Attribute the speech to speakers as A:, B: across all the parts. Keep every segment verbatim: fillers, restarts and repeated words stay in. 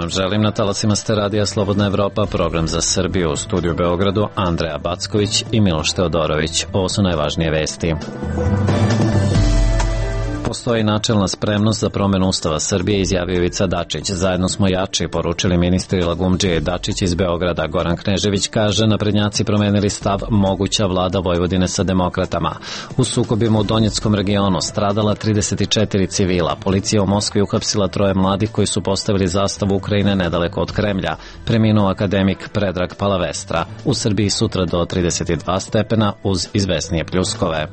A: vam želim na talasima ste Radija Slobodna Evropa, program za Srbiju, u studiju u Beogradu Andreja Backović i Miloš Teodorović. Ovo su najvažnije vesti. Postoji načelna spremnost za promenu Ustava Srbije, izjavio Ivica Dačić. Zajedno smo jači, poručili ministri Lagumdžije i Dačić iz Beograda. Goran Knežević kaže, naprednjaci promenili stav, moguća vlada Vojvodine sa demokratama. U sukobima u Donjeckom regionu stradala trideset četiri civila. Policija u Moskvi uhapsila troje mladih koji su postavili zastavu Ukrajine nedaleko od Kremlja. Preminuo akademik Predrag Palavestra. U Srbiji sutra do trideset dva stepena uz izvesnije pljuskove.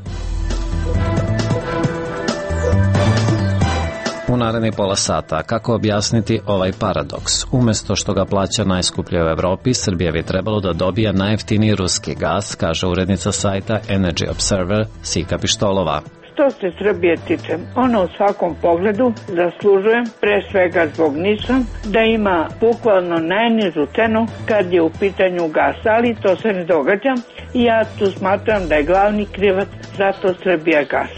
A: U narednih pola sata, kako objasniti ovaj paradoks? Umesto što ga plaća najskuplje u Evropi, Srbija bi trebalo da dobija najjeftiniji ruski gas, kaže urednica sajta Energy Observer Sika Pištolova.
B: Što se Srbije tiče, ona u svakom pogledu zaslužuje, pre svega zbog NIS-a, da ima bukvalno najnižu cenu kad je u pitanju gas, ali to se ne događa i ja tu smatram da je glavni krivac zato Srbija gas.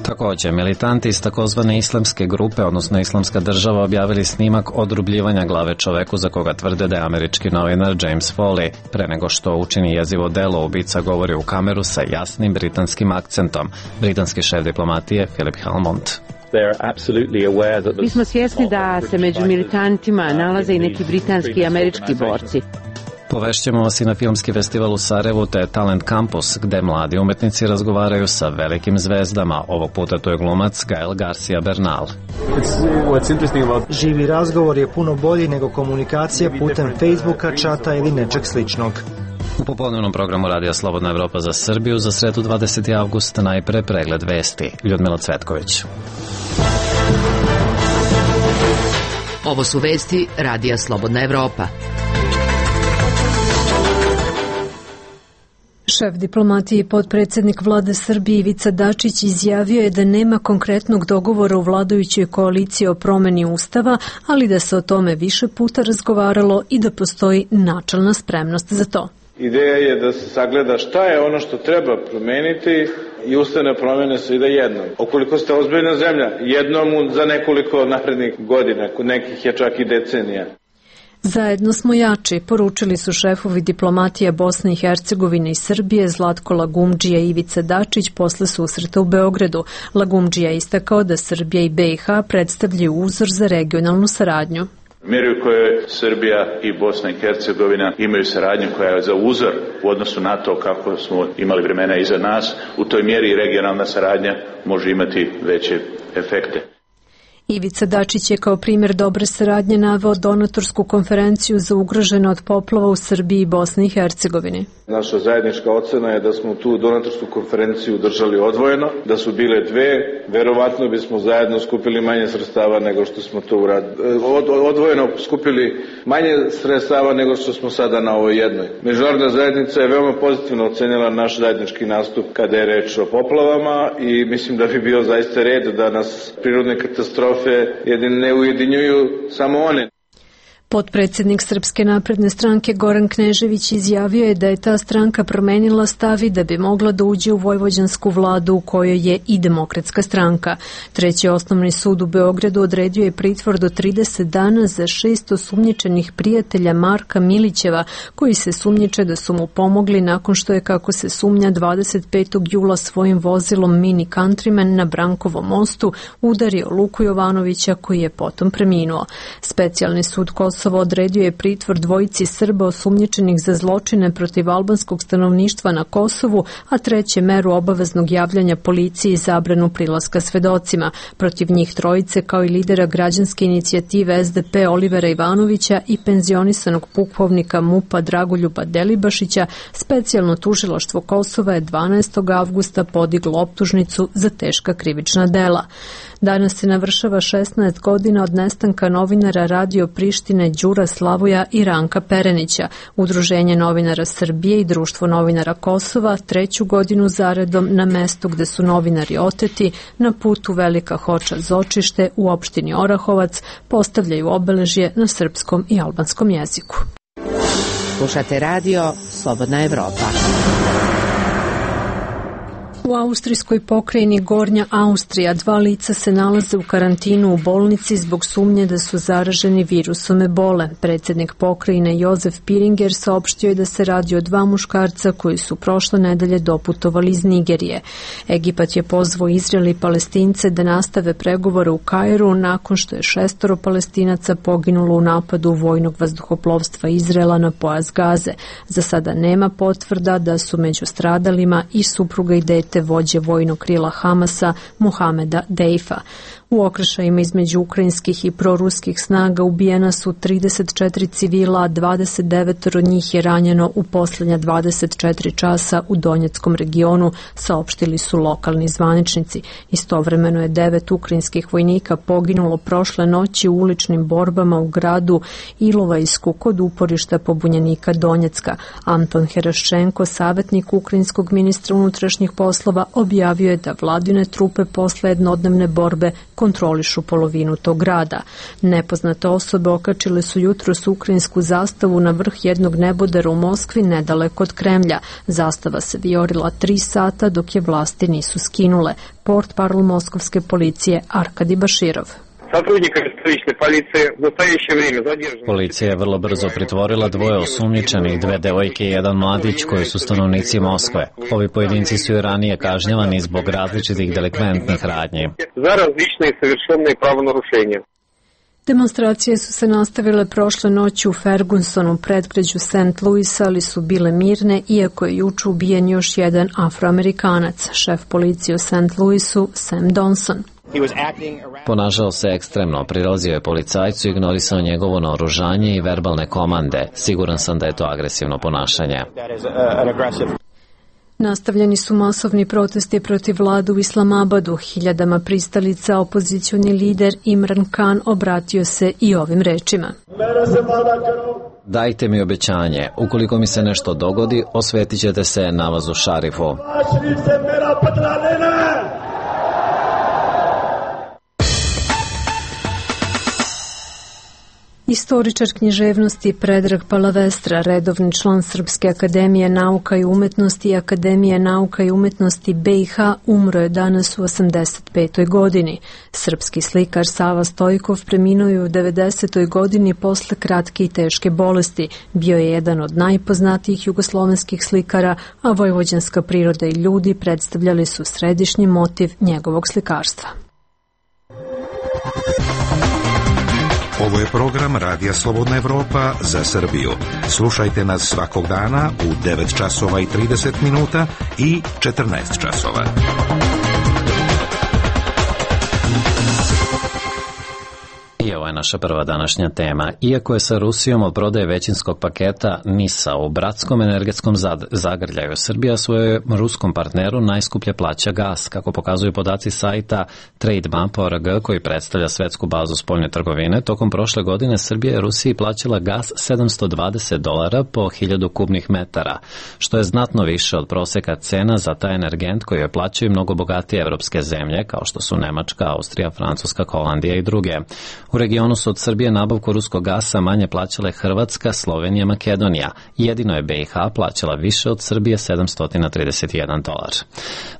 A: Također, militanti iz takozvane islamske grupe, odnosno Islamska država, objavili snimak odrubljivanja glave čoveku za koga tvrde da je američki novinar James Foley. Pre nego što učini jezivo delo, ubica govori u kameru sa jasnim britanskim akcentom. Britanski šef diplomatije Philip Hammond.
C: Mi smo svjesni da se među militantima nalaze i neki britanski i američki borci.
A: Povešćemo vas i na filmski festival u Sarajevu te Talent Campus, gde mladi umetnici razgovaraju sa velikim zvezdama. Ovog puta to je glumac Gael Garcia Bernal.
D: Živi razgovor je puno bolji nego komunikacija putem Facebooka, čata ili nečeg sličnog.
A: U popodnevnom programu Radija Slobodna Evropa za Srbiju za sredu dvadesetog avgusta najpre pregled vesti. Ljudmila Cvetković.
E: Ovo su vesti Radija Slobodna Evropa.
F: Šef diplomatije i potpredsjednik vlade Srbije Ivica Dačić izjavio je da nema konkretnog dogovora u vladajućoj koaliciji o promeni Ustava, ali da se o tome više puta razgovaralo i da postoji načelna spremnost za to.
G: Ideja je da se sagleda šta je ono što treba promeniti i ustavne promene se ide jednom. Ukoliko ste ozbiljna zemlja, jednom za nekoliko narednih godina, kod nekih je čak i decenija.
F: Zajedno smo jači, poručili su šefovi diplomatije Bosne i Hercegovine i Srbije Zlatko Lagumdžija i Ivica Dačić posle susreta u Beogradu. Lagumdžija je istakao da Srbija i B i H predstavljaju uzor za regionalnu saradnju.
H: Mjeri u kojoj Srbija i Bosna i Hercegovina imaju saradnju koja je za uzor u odnosu na to kako smo imali vremena iza nas, u toj mjeri regionalna saradnja može imati veće efekte.
F: Ivica Dačić je kao primjer dobre saradnje naveo donatorsku konferenciju za ugrožene od poplava u Srbiji i Bosni i Hercegovini.
G: Naša zajednička ocena je da smo tu donatorsku konferenciju držali odvojeno, da su bile dve, verovatno bismo zajedno skupili manje sredstava nego što smo to uradili. Od, odvojeno skupili manje sredstava nego što smo sada na ovoj jednoj. Međunarodna zajednica je veoma pozitivno ocenila naš zajednički nastup kada je reč o poplavama i mislim da bi bio zaista red da nas prirodne katastrofe jedin ne ujedinjuju samo one.
F: Potpredsjednik Srpske napredne stranke Goran Knežević izjavio je da je ta stranka promenila stav i da bi mogla da uđe u vojvođansku vladu u kojoj je i Demokratska stranka. Treći osnovni sud u Beogradu odredio je pritvor do trideset dana za šest osumnjičenih prijatelja Marka Milićeva, koji se sumnjiče da su mu pomogli nakon što je, kako se sumnja, dvadeset petog jula svojim vozilom Mini Countryman na Brankovom mostu udario Luku Jovanovića, koji je potom preminuo. Specijalni sud Kosova odredio je pritvor dvojici Srba osumnjičenih za zločine protiv albanskog stanovništva na Kosovu, a treće meru obaveznog javljanja policiji i zabranu prilaska svedocima. Protiv njih trojice, kao i lidera građanske inicijative S D P Olivera Ivanovića i penzionisanog pukovnika MUP-a Dragoljuba Delibašića, specijalno tužilaštvo Kosova je dvanaestog avgusta podiglo optužnicu za teška krivična dela. Danas se navršava šesnaest godina od nestanka novinara Radio Prištine Đura Slavoja i Ranka Perenića. Udruženje novinara Srbije i Društvo novinara Kosova treću godinu zaredom na mestu gde su novinari oteti na putu Velika Hoča-Zočište u opštini Orahovac postavljaju obeležje na srpskom i albanskom jeziku.
E: Slušate radio Slobodna Evropa.
F: U austrijskoj pokrajini Gornja Austrija dva lica se nalaze u karantinu u bolnici zbog sumnje da su zaraženi virusom ebole. Predsjednik pokrajine Jozef Piringer saopštio je da se radi o dva muškarca koji su prošle nedelje doputovali iz Nigerije. Egipat je pozvao Izrael i Palestince da nastave pregovore u Kairu nakon što je šestoro Palestinaca poginulo u napadu vojnog vazduhoplovstva Izraela na pojas Gaze. Za sada nema potvrda da su među stradalima i supruga i dete vođe vojnog krila Hamasa Mohameda Deifa. U okršajima između ukrajinskih i proruskih snaga ubijena su trideset četiri civila, a dvadeset devet od njih je ranjeno u posljednja dvadeset četiri časa u Donjeckom regionu, saopštili su lokalni zvaničnici. Istovremeno je devet ukrajinskih vojnika poginulo prošle noći u uličnim borbama u gradu Ilovajsku kod uporišta pobunjenika Donjecka. Anton Heraščenko, savjetnik ukrajinskog ministra unutrašnjih poslova, objavio je da vladine trupe posle jednodnevne borbe kontrolišu polovinu tog grada. Nepoznate osobe okačile su jutros ukrajinsku zastavu na vrh jednog nebodera u Moskvi nedaleko od Kremlja. Zastava se vijorila tri sata dok je vlasti nisu skinule. Portparol moskovske policije Arkadi Baširov.
A: Policija je vrlo brzo pritvorila dvoje osumnjičenih, dve devojke i jedan mladić koji su stanovnici Moskve. Ovi pojedinci su i ranije kažnjavani zbog različitih delikventnih radnji.
I: Za različne i savršene pravonarušenja.
F: Demonstracije su se nastavile prošle noći u Fergusonu, predgrađu Saint Louisa, ali su bile mirne, iako je juče ubijen još jedan Afroamerikanac, šef policije u Saint Louisu Sam Donson.
A: Ponašao se ekstremno, prilazio je policajcu, ignorisao njegovo naoružanje i verbalne komande. Siguran sam da je to agresivno ponašanje.
F: Nastavljeni su masovni protesti protiv vlade u Islamabadu. Hiljadama pristalica opozicioni lider Imran Khan obratio se i ovim rečima.
A: Dajte mi obećanje, ukoliko mi se nešto dogodi, osvetit ćete se namazu Šarifu.
F: Istoričar književnosti Predrag Palavestra, redovni član Srpske akademije nauka i umetnosti i Akademije nauka i umetnosti B i H, umro je danas u osamdeset petoj godini. Srpski slikar Sava Stojkov preminuo je u devedesetoj godini posle kratke i teške bolesti. Bio je jedan od najpoznatijih jugoslovenskih slikara, a vojvođanska priroda i ljudi predstavljali su središnji motiv njegovog slikarstva.
J: Ovo je program Radija Slobodna Evropa za Srbiju. Slušajte nas svakog dana u devet časova i trideset minuta i četrnaest časova.
A: I ovo je naša prva današnja tema. Iako je sa Rusijom od prodaje većinskog paketa NIS-a u bratskom energetskom zagrljaju, Srbija svojoj ruskom partneru najskuplje plaća gas, kako pokazuju podaci sajta TradeMap punkt org koji predstavlja svetsku bazu spoljne trgovine. Tokom prošle godine Srbija je Rusiji plaćala gas sedamsto dvadeset dolara po hiljadu kubnih metara, što je znatno više od proseka cena za taj energent koji je plaćaju mnogo bogatije evropske zemlje, kao što su Nemačka, Austrija, Francuska, Holandija i druge. U regionu su od Srbije nabavku ruskog gasa manje plaćale Hrvatska, Slovenija, Makedonija. Jedino je B i H plaćala više od Srbije sedamsto trideset jedan dolar.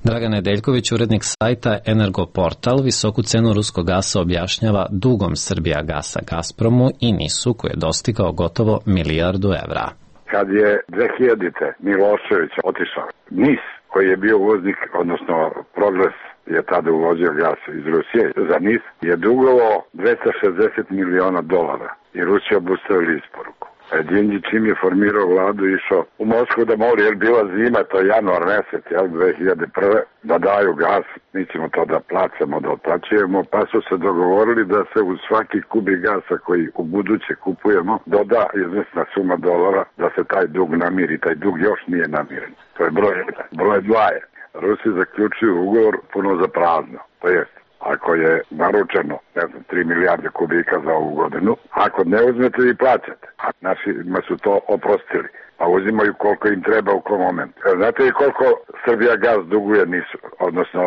A: Dragan Nedeljković, urednik sajta Energoportal, visoku cenu ruskog gasa objašnjava dugom Srbija gasa Gazpromu i NIS-u koji je dostigao gotovo milijardu evra.
K: Kad je dve hiljadite Milošević otišao, NIS koji je bio uvoznik, odnosno Progres je tada uvozio gas iz Rusije, za NIS je dugovao dvesta šezdeset miliona dolara i Rusija obustavili isporuku. Dinđić čim je formirao vladu išao u Moskvu da moli, jer bila zima, to je januar mesec, jel, dve hiljade prve, da daju gas, mi ćemo to da placamo, da otplaćujemo, pa su se dogovorili da se u svaki kubik gasa koji u buduće kupujemo doda izvesna suma dolara da se taj dug namiri, taj dug još nije namiren. To je broj jedan. Broj dva je, Rusi zaključuju ugovor puno za prazno, to jest, ako je naručeno, ne znam, tri milijarde kubika za ovu godinu, ako ne uzmete i plaćate, a našima su to oprostili, pa uzimaju koliko im treba u kom momentu. Znate li koliko Srbija gas duguje NIS-u, odnosno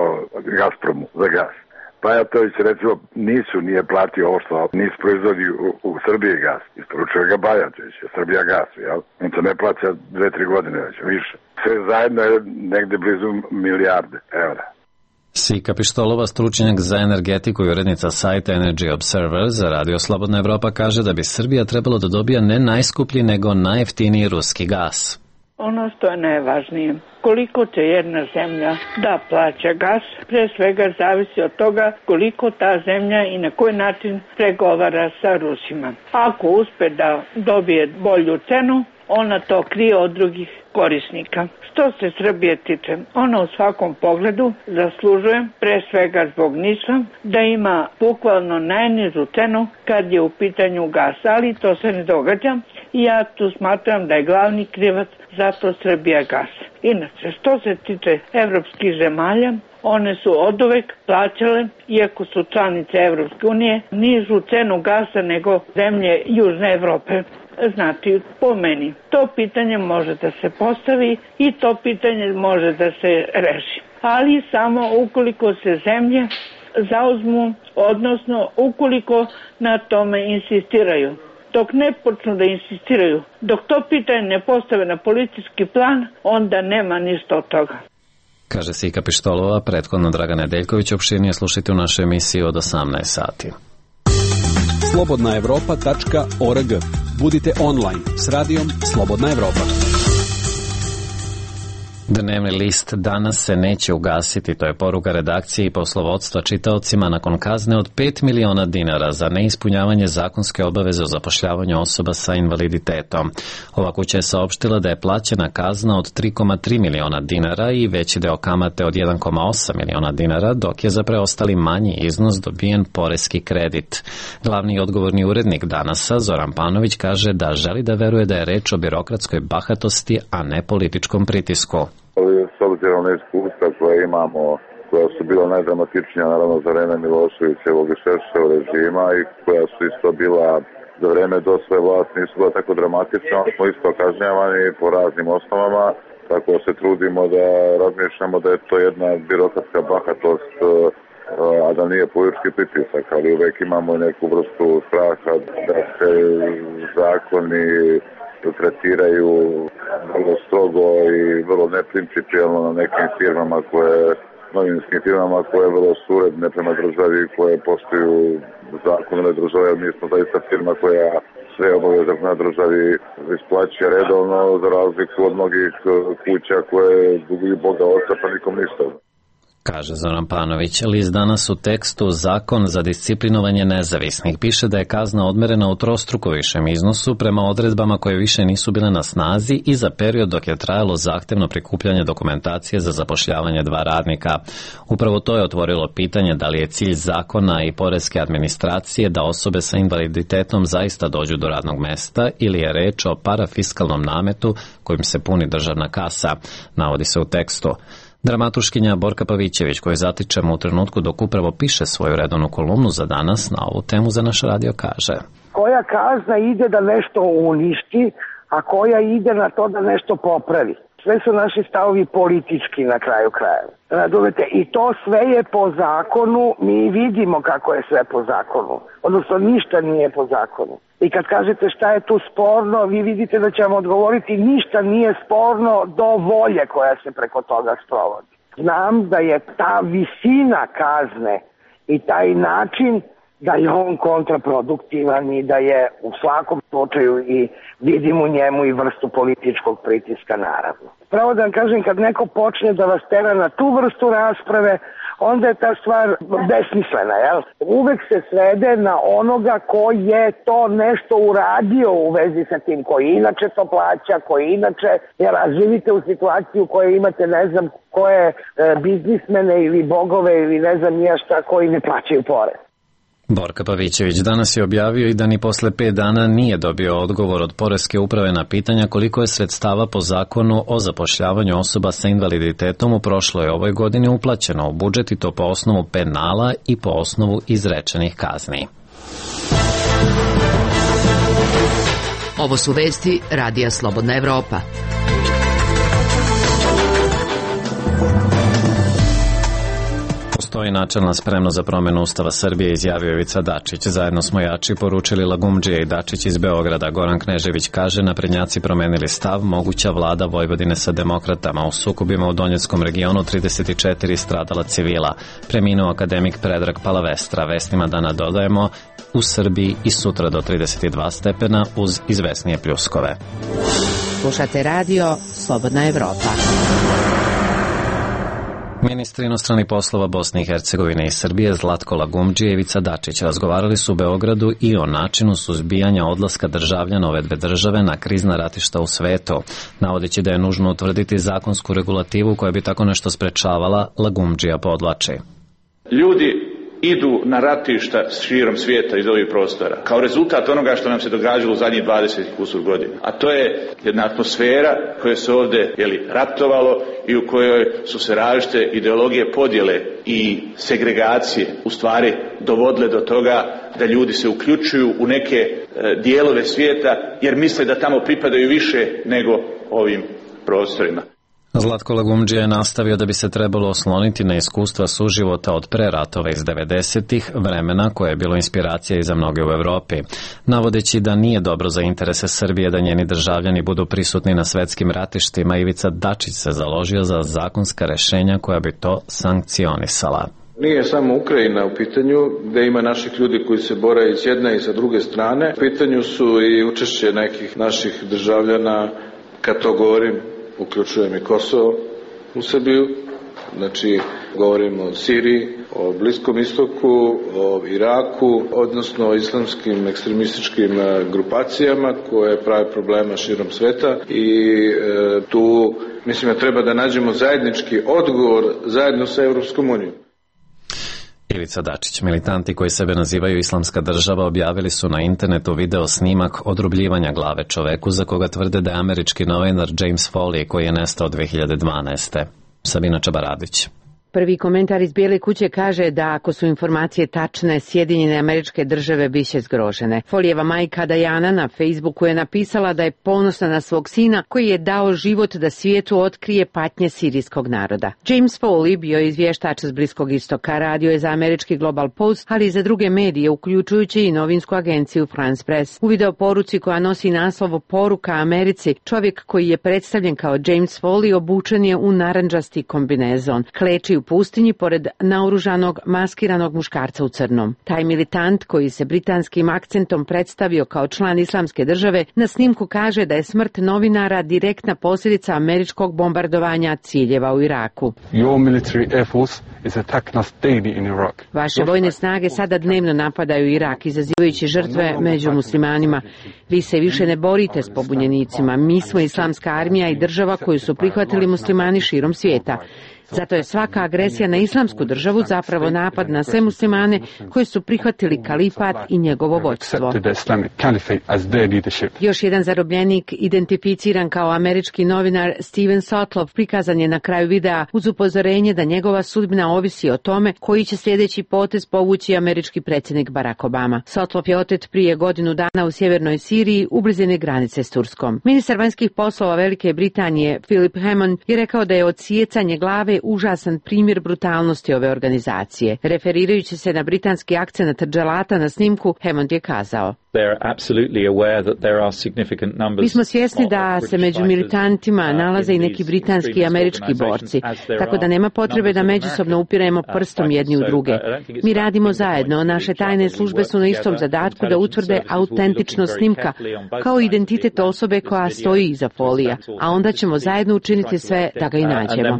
K: Gazpromu za gas? Bajatović recimo NIS-u nije platio ovo što NIS proizvodi u, u Srbiji gas. Isporučuje ga Bajatović, Srbija gas, jel? On to ne plaća dve, tri godine već, više. Sve zajedno je negde blizu milijarde evra.
A: Sika Pištolova, stručnjak za energetiku i urednica sajta Energy Observer za Radio Slobodna Evropa, kaže da bi Srbija trebalo da dobija ne najskuplji nego najjeftiniji ruski gas.
B: Ono što je najvažnije, koliko će jedna zemlja da plaća gas, pre svega zavisi od toga koliko ta zemlja i na koji način pregovara sa Rusima. Ako uspe da dobije bolju cenu, ona to krije od drugih korisnika. Što se Srbije tiče, ona u svakom pogledu zaslužuje, pre svega zbog Niša, da ima bukvalno najnižu cenu kad je u pitanju gas, ali to se ne događa i ja tu smatram da je glavni krivac zato Srbija gas. Inače, što se tiče evropskih zemalja, one su oduvek plaćale, iako su članice Evropske unije, nižu cenu gasa nego zemlje Južne Evrope. Znači, po meni, to pitanje može da se postavi i to pitanje može da se reši. Ali samo ukoliko se zemlje zauzmu, odnosno ukoliko na tome insistiraju. Dok ne počnu da insistiraju, dok to pitanje ne postave na politički plan, onda nema ništa od toga.
A: Kaže Sika Pištolova, prethodno Dragan Nedeljković, opširnije slušajte u našoj emisiji od osamnaest sati.
L: slobodna evropa tačka org. Budite online s radijom Slobodna Evropa.
A: Dnevni list danas se neće ugasiti, to je poruka redakcije i poslovodstva čitaocima nakon kazne od pet miliona dinara za neispunjavanje zakonske obaveze o zapošljavanju osoba sa invaliditetom. Ova kuća je saopštila da je plaćena kazna od tri zarez tri miliona dinara i veći deo kamate od jedan zarez osam miliona dinara, dok je za preostali manji iznos dobijen poreski kredit. Glavni odgovorni urednik Danasa, Zoran Panović, kaže da želi da veruje da je reč o birokratskoj bahatosti, a ne političkom pritisku.
K: S obzirom na iskustva koje imamo, koja su bila najdramatičnija naravno za vreme Miloševićevog i Šešeljevog režima i koja su isto bila za vreme dosove vlasti nisu bila tako dramatična, smo isto kažnjavani po raznim osnovama, tako se trudimo da razmišljamo da je to jedna birokratska bahatost, a da nije politički pritisak, ali uvek imamo neku vrstu straha da se zakoni tretiraju vrlo strogo i vrlo neprincipijalno na nekim firmama koje, novinskim firmama koje vrlo su uredne prema državi, koje poštuju zakonove države, jer mi smo zaista firma koja sve obaveze na državi isplaća redovno, za razliku od mnogih kuća koje duguju Boga oca pa nikom ništa.
A: Kaže Zoran Panović. List danas u tekstu Zakon za disciplinovanje nezavisnih piše da je kazna odmerena u trostruko višem iznosu prema odredbama koje više nisu bile na snazi i za period dok je trajalo zahtevno prikupljanje dokumentacije za zapošljavanje dva radnika. Upravo to je otvorilo pitanje da li je cilj zakona i poreske administracije da osobe sa invaliditetom zaista dođu do radnog mesta ili je reč o parafiskalnom nametu kojim se puni državna kasa, navodi se u tekstu. Dramaturškinja Borka Pavićević, koju zatičemo u trenutku dok upravo piše svoju redovnu kolumnu za danas, na ovu temu za naš radio kaže:
M: koja kazna ide da nešto uništi, a koja ide na to da nešto popravi. Sve su naši stavovi politički na kraju krajeva. Razumete, i to sve je po zakonu, mi vidimo kako je sve po zakonu. Odnosno ništa nije po zakonu. I kad kažete šta je tu sporno, vi vidite da ćemo odgovoriti ništa nije sporno do volje koja se preko toga sprovodi. Znam da je ta visina kazne i taj način da je on kontraproduktivan i da je u svakom slučaju i vidim u njemu i vrstu političkog pritiska naravno. Pravo da vam kažem, kad neko počne da vas tera na tu vrstu rasprave, onda je ta stvar besmislena, jel? Uvek se svede na onoga ko je to nešto uradio u vezi sa tim, koji inače to plaća, koji inače, jer živite u situaciju u kojoj imate, ne znam, koje e, biznismene ili bogove ili ne znam nija šta koji ne plaćaju porez.
A: Borka Pavićević danas je objavio i da ni posle pet dana nije dobio odgovor od Poreske uprave na pitanja koliko je sredstava po zakonu o zapošljavanju osoba sa invaliditetom u prošloj ovoj godini uplaćeno u budžet, i to po osnovu penala i po osnovu izrečenih kazni.
E: Ovo su vesti Radija Slobodna Evropa.
A: Postoji načelna spremnost za promenu Ustava Srbije, izjavio Ivica Dačić. Zajedno smo jači, poručili Lagumdžija i Dačić iz Beograda. Goran Knežević kaže, naprednjaci promenili stav, moguća vlada Vojvodine sa demokratama. U sukobima u Donjeckom regionu trideset četiri stradala civila. Preminuo akademik Predrag Palavestra. Vestima dana dodajemo, u Srbiji i sutra do trideset dva stepena uz izvesnije pljuskove.
C: Slušate radio Slobodna Evropa.
A: Ministri inostranih poslova Bosne i Hercegovine i Srbije Zlatko Lagumdžija i Ivica Dačić razgovarali su u Beogradu i o načinu suzbijanja odlaska državljana ove dve države na krizna ratišta u svetu. Navodeći da je nužno utvrditi zakonsku regulativu koja bi tako nešto sprečavala, Lagumdžija podvlači.
H: Ljudi idu na ratišta širom svijeta iz ovih prostora kao rezultat onoga što nam se događalo u zadnjih dvadeset kusur godina. A to je jedna atmosfera koja se ovdje jeli, ratovalo i u kojoj su se različite ideologije podjele i segregacije u stvari dovodile do toga da ljudi se uključuju u neke e, dijelove svijeta jer misle da tamo pripadaju više nego ovim prostorima.
A: Zlatko Lagumdžija je nastavio da bi se trebalo osloniti na iskustva suživota od pre ratova iz devedesetih, vremena koje je bilo inspiracija i za mnoge u Evropi. Navodeći da nije dobro za interese Srbije da njeni državljani budu prisutni na svetskim ratištima, Ivica Dačić se založio za zakonska rešenja koja bi to sankcionisala.
G: Nije samo Ukrajina u pitanju, gde ima naših ljudi koji se bore i s jedne i sa druge strane. U pitanju su i učešće nekih naših državljana, kad to govorim, uključujem i Kosovo u Srbiju, znači govorimo o Siriji, o Bliskom istoku, o Iraku, odnosno o islamskim ekstremističkim grupacijama koje prave problema širom sveta i e, tu mislim da treba da nađemo zajednički odgovor zajedno sa Evropskom unijom.
A: Ivica Dačić. Militanti koji sebe nazivaju Islamska država objavili su na internetu video snimak odrubljivanja glave čoveku za koga tvrde da je američki novinar James Foley koji je nestao dve hiljade dvanaeste. Sabina Čabaradić.
C: Prvi komentar iz Bijele kuće kaže da ako su informacije tačne, Sjedinjene Američke Države biće zgrožene. Folijeva majka Dajana na Facebooku je napisala da je ponosna na svog sina koji je dao život da svijetu otkrije patnje sirijskog naroda. James Foley bio je izvještač s Bliskog istoka, radio je za američki Global Post, ali i za druge medije, uključujući i novinsku agenciju France Press. U video poruci koja nosi naslov Poruka Americi, čovjek koji je predstavljen kao James Foley obučen je u narandžasti kombinezon. Kleči u pustinji pored naoružanog, maskiranog muškarca u crnom. Taj militant koji se britanskim akcentom predstavio kao član Islamske države na snimku kaže da je smrt novinara direktna posljedica američkog bombardovanja ciljeva u Iraku. Vaše vojne snage sada dnevno napadaju Irak, izazivajući žrtve među muslimanima. Vi se više ne borite s pobunjenicima. Mi smo islamska armija i država koju su prihvatili muslimani širom svijeta. Zato je svaka agresija na islamsku državu zapravo napad na sve muslimane koji su prihvatili kalifat i njegovo vođstvo. Još jedan zarobljenik, identificiran kao američki novinar Steven Sotloff, prikazan je na kraju videa uz upozorenje da njegova sudbina ovisi o tome koji će sljedeći potez povući američki predsjednik Barack Obama. Sotloff je otet prije godinu dana u sjevernoj Siriji u blizini granice s Turskom. Ministar vanjskih poslova Velike Britanije Philip Hammond je rekao da je odsijecanje glave užasan primjer brutalnosti ove organizacije. Referirajući se na britanski akcenat dželata na snimku, Hammond je kazao: Mi smo svjesni da se među militantima nalaze i neki britanski i američki borci, tako da nema potrebe da međusobno upiremo prstom jedni u druge. Mi radimo zajedno, naše tajne službe su na istom zadatku da utvrde autentičnost snimka, kao identitet osobe koja stoji iza Folija, a onda ćemo zajedno učiniti sve da ga i nađemo.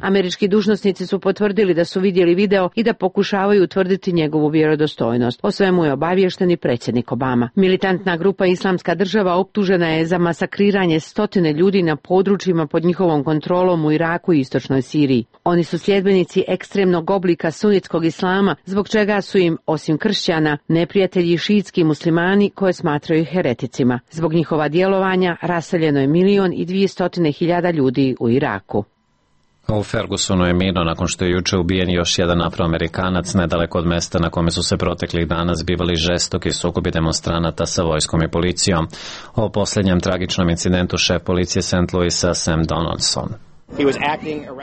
C: Američki dužnosnici su potvrdili da su vidjeli video i da pokušavaju utvrditi njegovu vjerodostojnost. O svemu je obaviješten i predsjednik Obama. Militantna grupa Islamska država optužena je za masakriranje stotine ljudi na područjima pod njihovom kontrolom u Iraku i istočnoj Siriji. Oni su sljedbenici ekstremnog oblika sunitskog islama, zbog čega su im, osim kršćana, neprijatelji šiitski muslimani koje smatraju hereticima. Zbog njihova djelovanja raseljeno je milion i dvije stotine hiljada ljudi u Iraku.
A: U Fergusonu je mirno nakon što je juče ubijen još jedan Afroamerikanac nedaleko od mesta na kome su se proteklih dana zbivali žestoki sukobi demonstranata sa vojskom i policijom. O posljednjem tragičnom incidentu šef policije Saint Louisa Sam Donaldson.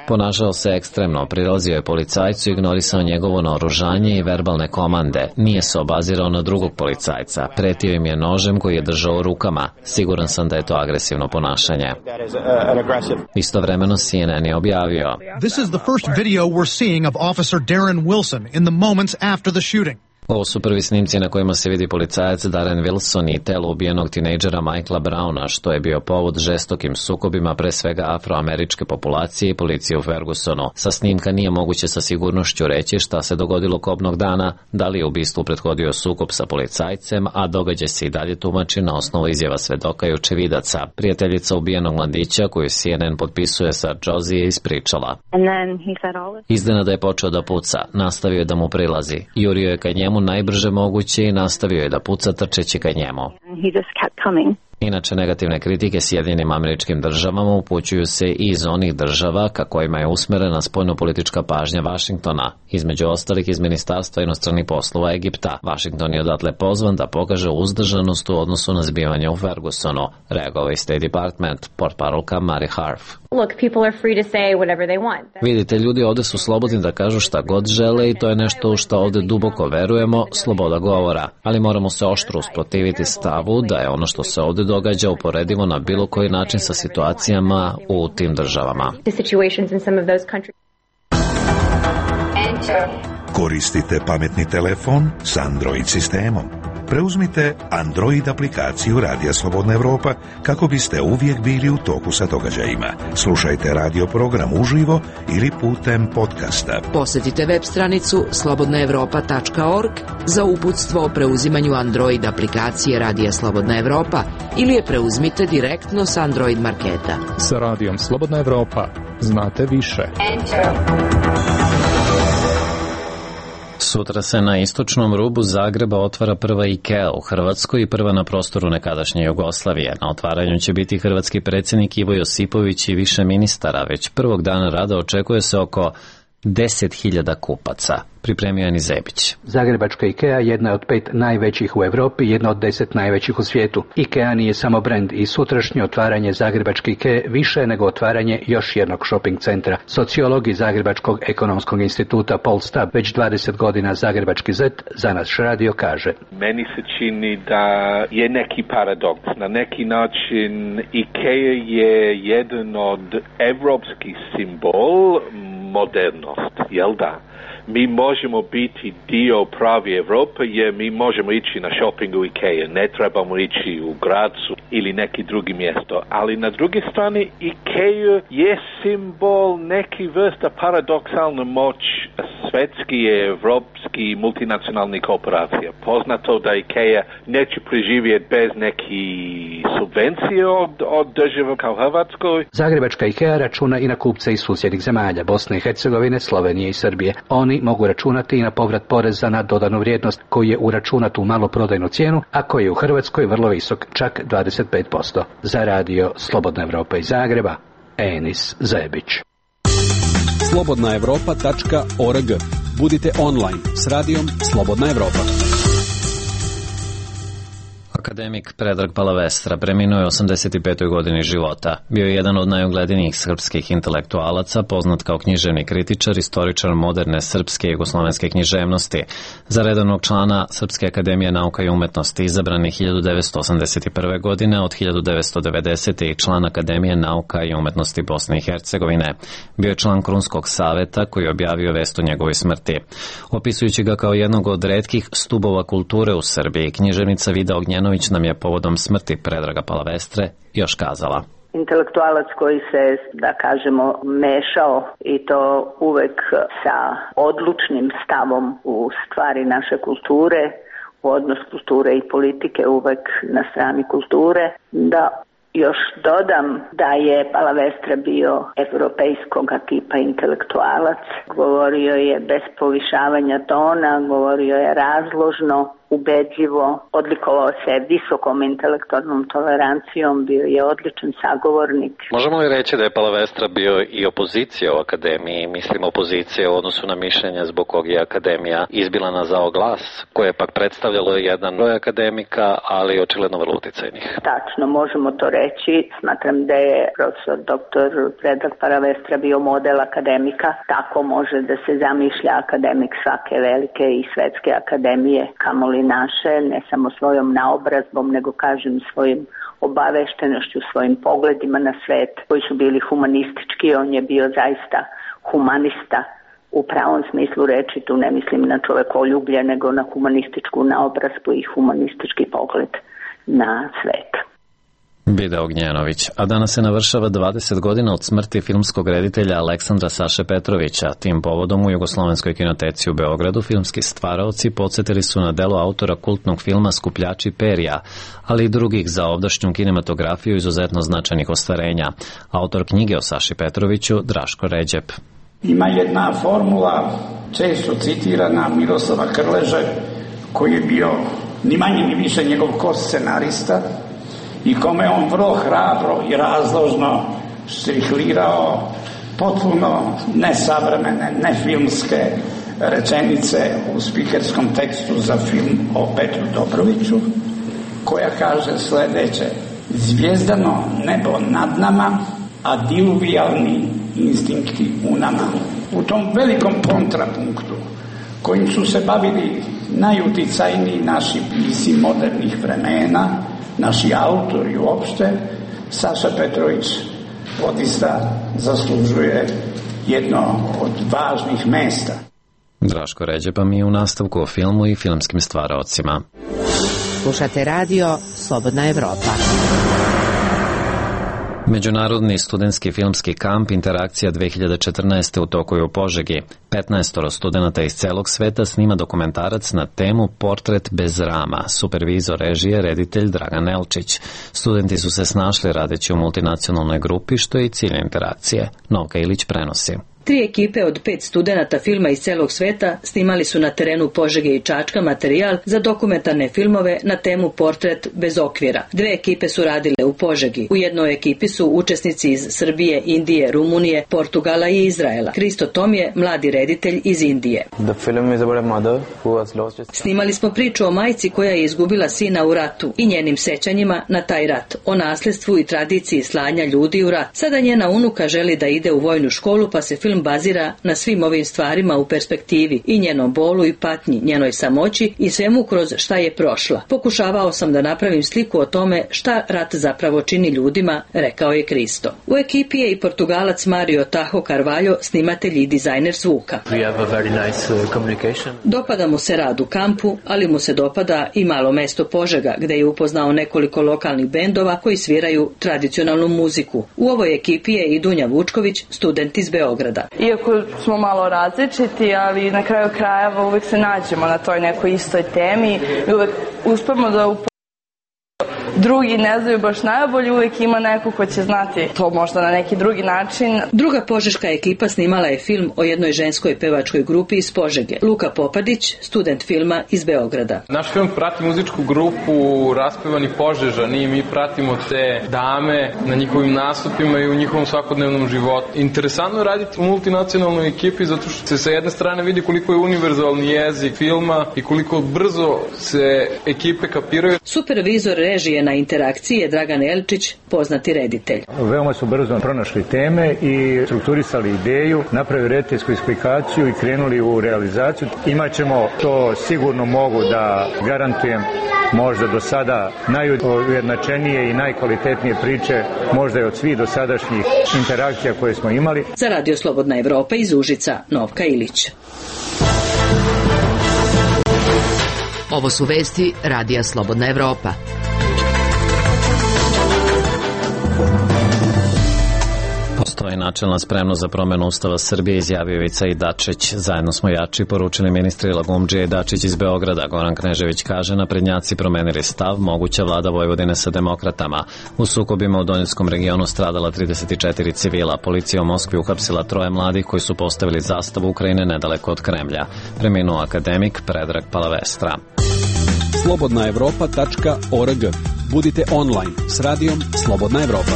A: Ponašao se ekstremno, prilazio je policajcu, ignorisao njegovo naoružanje i verbalne komande. Nije se obazirao na drugog policajca. Pretio im je nožem koji je držao u rukama. Siguran sam da je to agresivno ponašanje. Istovremeno C N N je objavio:
N: This is the first video we're seeing of Officer Darren Wilson in the moments after the shooting.
A: Ovo su prvi snimci na kojima se vidi policajac Darren Wilson i telo ubijenog tinejdžera Michaela Browna, što je bio povod žestokim sukobima pre svega afroameričke populacije i policije u Fergusonu. Sa snimka nije moguće sa sigurnošću reći šta se dogodilo kobnog dana, da li je ubistvu prethodio sukob sa policajcem, a događaj se i dalje tumači na osnovu izjava svedoka i očevidaca. Prijateljica ubijenog mladića, koju C N N potpisuje sa Josie, je ispričala: Iznenada je počeo da puca, nastavio je da mu prilazi, jurio je ka njemu najbrže moguće i nastavio je da puca trčeći ka njemu. Inače, negativne kritike Sjedinjenim Američkim Državama upućuju se i iz onih država ka kojima je usmerena spoljnopolitička pažnja Vašingtona, između ostalih iz Ministarstva inostranih poslova Egipta. Vašington je odatle pozvan da pokaže uzdržanost u odnosu na zbivanje u Fergusonu, reagovao je State Department, portparolka Mary Harf.
O: Look, people are free to say whatever they want.
A: Vidite, ljudi ovde su slobodni da kažu šta god žele i to je nešto u šta ovde duboko verujemo, sloboda govora. Ali moramo se oštro usprotiviti stavu da je ono što se ovde događa uporedivo na bilo koji način sa situacijama u tim državama.
J: Koristite pametni telefon s Android sistemom. Preuzmite Android aplikaciju Radija Slobodna Evropa kako biste uvijek bili u toku sa događajima. Slušajte radio program uživo ili putem podcasta.
E: Posjetite web stranicu slobodna evropa tačka org za uputstvo o preuzimanju Android aplikacije Radija Slobodna Evropa ili je preuzmite direktno s Android marketa.
P: Sa Radijom Slobodna Evropa znate više.
A: Sutra se na istočnom rubu Zagreba otvara prva IKEA u Hrvatskoj i prva na prostoru nekadašnje Jugoslavije. Na otvaranju će biti hrvatski predsjednik Ivo Josipović i više ministara. Već prvog dana rada očekuje se oko deset hiljada kupaca. Pripremio je Nizebić.
Q: Zagrebačka IKEA jedna je od pet najvećih u Europi i jedna od deset najvećih u svijetu. IKEA nije samo brend i sutrašnje otvaranje Zagrebačke IKEA više nego otvaranje još jednog shopping centra. Sociolog iz Zagrebačkog ekonomskog instituta Paul Stab, već dvadeset godina Zagrebački zet, za naš radio kaže:
R: Meni se čini da je neki paradoks. Na neki način IKEA je jedan od evropski simbol modernost, jel da? Mi možemo biti dio pravi Evrope jer mi možemo ići na shopping u IKEA, ne trebamo ići u Gracu ili neki drugi mjesto. Ali na druge strane IKEA je simbol neki vrsta paradoksalna moć svetski, evropski, multinacionalnih korporacija. Poznato da IKEA neće preživjeti bez neki subvencije od, od države kao Hrvatskoj.
Q: Zagrebačka IKEA računa i na kupce iz susjednih zemalja, Bosne i Hercegovine, Slovenije i Srbije. Oni mogu računati i na povrat poreza na dodanu vrijednost koji je uračunat u maloprodajnu cijenu, a koji je u Hrvatskoj vrlo visok, čak dvadeset pet posto. Za radio Slobodna Evropa iz Zagreba, Enis Zebić.
L: slobodna evropa tačka org. Budite online s radijom Slobodna Evropa.
A: Akademik Predrag Palavestra preminuo je u osamdeset petoj godini života. Bio je jedan od najuglednijih srpskih intelektualaca, poznat kao književni kritičar, istoričar moderne srpske i jugoslovenske književnosti. Za redovnog člana Srpske akademije nauka i umetnosti izabran je hiljadu devetsto osamdeset prve. godine, od hiljadu devetsto devedesete. i član Akademije nauka i umetnosti Bosne i Hercegovine. Bio je član Krunskog saveta koji je objavio vest o njegovoj smrti. Opisujući ga kao jednog od retkih stubova kulture u Srbiji, književnica Vida Ognjenović nam je povodom smrti Predraga Palavestre još kazala:
S: Intelektualac koji se, da kažemo, mešao i to uvek sa odlučnim stavom u stvari naše kulture, u odnos kulture i politike uvek na strani kulture. Da još dodam da je Palavestra bio evropejskog tipa intelektualac, govorio je bez povišavanja tona, govorio je razložno, ubedljivo, odlikovao se visokom intelektualnom tolerancijom, bio je odličan sagovornik.
A: Možemo li reći da je Palavestra bio i opozicija u akademiji, mislim opozicija u odnosu na mišljenje zbog kog je akademija izbila na zao glas, koje je pak predstavljalo jedan broj akademika, ali očigledno vrlo uticajnih?
S: Tačno, možemo to reći. Smatram da je profesor doktor Predrag Palavestra bio model akademika. Tako može da se zamišlja akademik svake velike i svetske akademije, kamoli naše, ne samo svojom naobrazbom, nego kažem svojim obaveštenošću, svojim pogledima na svet koji su bili humanistički. On je bio zaista humanista u pravom smislu reči, tu ne mislim na čovekoljublje, nego na humanističku naobrazbu i humanistički pogled na svet.
A: Bida Ognjenović, a danas se navršava dvadeset godina od smrti filmskog reditelja Aleksandra Saše Petrovića. Tim povodom u Jugoslovenskoj kinoteci u Beogradu filmski stvaraoci podsjetili su na delo autora kultnog filma Skupljači perja, ali i drugih za ovdašnju kinematografiju izuzetno značajnih ostvarenja. Autor knjige o Saši Petroviću, Draško Ređep.
T: Ima jedna formula, često citirana, Miroslava Krleže, koji je bio ni manje ni više njegov ko-scenarista i kome je on vrlo hrabro i razložno strihlirao potpuno nesavremene, nefilmske rečenice u spikerskom tekstu za film o Petru Dobroviću, koja kaže sledeće: zvijezdano nebo nad nama, a diluvijalni instinkti u nama. U tom velikom kontrapunktu kojim su se bavili najuticajniji naši pisci modernih vremena, naši autori uopšte, Saša Petrović odista zaslužuje jedno od važnih mesta.
A: Draško Ređepa mi je u nastavku o filmu i filmskim stvaraocima.
C: Slušate radio Slobodna Evropa.
A: Međunarodni studentski filmski kamp Interakcija dve hiljade četrnaeste u toku je u Požegi. petnaestoro studenata iz celog sveta snima dokumentarac na temu Portret bez rama. Supervizor režije, reditelj Dragan Elčić. Studenti su se snašli radeći u multinacionalnoj grupi, što je i cilj interakcije. Novka Ilić prenosi.
U: Tri ekipe od pet studenata filma iz celog sveta snimali su na terenu Požege i Čačka materijal za dokumentarne filmove na temu Portret bez okvira. Dve ekipe su radile u Požegi. U jednoj ekipi su učesnici iz Srbije, Indije, Rumunije, Portugala i Izraela. Kristo Tom je mladi reditelj iz Indije. Snimali smo priču o majci koja je izgubila sina u ratu i njenim sećanjima na taj rat, o nasledstvu i tradiciji slanja ljudi u rat. Sada njena unuka želi da ide u vojnu školu, pa se film bazira na svim ovim stvarima u perspektivi i njenom bolu i patnji, njenoj samoći i svemu kroz šta je prošla. Pokušavao sam da napravim sliku o tome šta rat zapravo čini ljudima, rekao je Kristo. U ekipi je i Portugalac Mario Taho Carvalho, snimatelj i dizajner zvuka. Dopada mu se rad u kampu, ali mu se dopada i malo mesto Požega, gde je upoznao nekoliko lokalnih bendova koji sviraju tradicionalnu muziku. U ovoj ekipi je i Dunja Vučković, student iz Beograda.
V: Iako smo malo različiti, ali na kraju krajeva uvek se nađemo na toj nekoj istoj temi i uvek uspemo da upoznamo. Drugi ne znaju baš najbolje, uvek ima neko ko će znati to možda na neki drugi način.
U: Druga požeška ekipa snimala je film o jednoj ženskoj pevačkoj grupi iz Požege. Luka Popadić, student filma iz Beograda.
W: Naš film prati muzičku grupu Raspevani Požežani i mi pratimo te dame na njihovim nastupima i u njihovom svakodnevnom životu. Interesantno je raditi u multinacionalnoj ekipi zato što se sa jedne strane vidi koliko je univerzalni jezik filma i koliko brzo se ekipe kapiraju.
U: Supervizor režije na interakciji je Dragan Elčić, poznati reditelj.
X: Veoma su brzo pronašli teme i strukturisali ideju, napravili rediteljsku eksplikaciju i krenuli u realizaciju. Imaćemo, to sigurno mogu da garantujem, možda do sada najujednačenije i najkvalitetnije priče, možda i od svih dosadašnjih interakcija koje smo imali.
U: Za Radio Slobodna Evropa iz Užica, Novka Ilić.
E: Ovo su vesti Radija Slobodna Evropa.
A: Postoji načelna spremnost za promenu Ustava Srbije, izjavio Ivica i Dačić. Zajedno smo jači, poručili ministri Lagumdžija i Dačić iz Beograda. Goran Knežević kaže, naprednjaci promenili stav, moguća vlada Vojvodine sa demokratama. U sukobima u Donjeckom regionu stradala trideset četiri civila. Policija u Moskvi uhapsila troje mladih koji su postavili zastavu Ukrajine nedaleko od Kremlja. Preminuo akademik Predrag Palavestra.
L: slobodna evropa tačka org. Budite online s radijom Slobodna Evropa.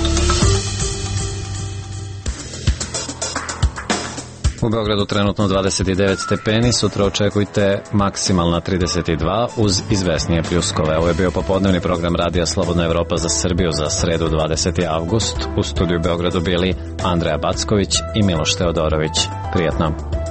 A: U Beogradu trenutno dvadeset devet stepeni, sutra očekujte maksimalna trideset dva uz izvesnije pljuskove. Ovo je bio popodnevni program Radija Slobodna Evropa za Srbiju za sredu dvadeseti avgust. U studiju Beogradu bili Andreja Backović i Miloš Teodorović. Prijetno.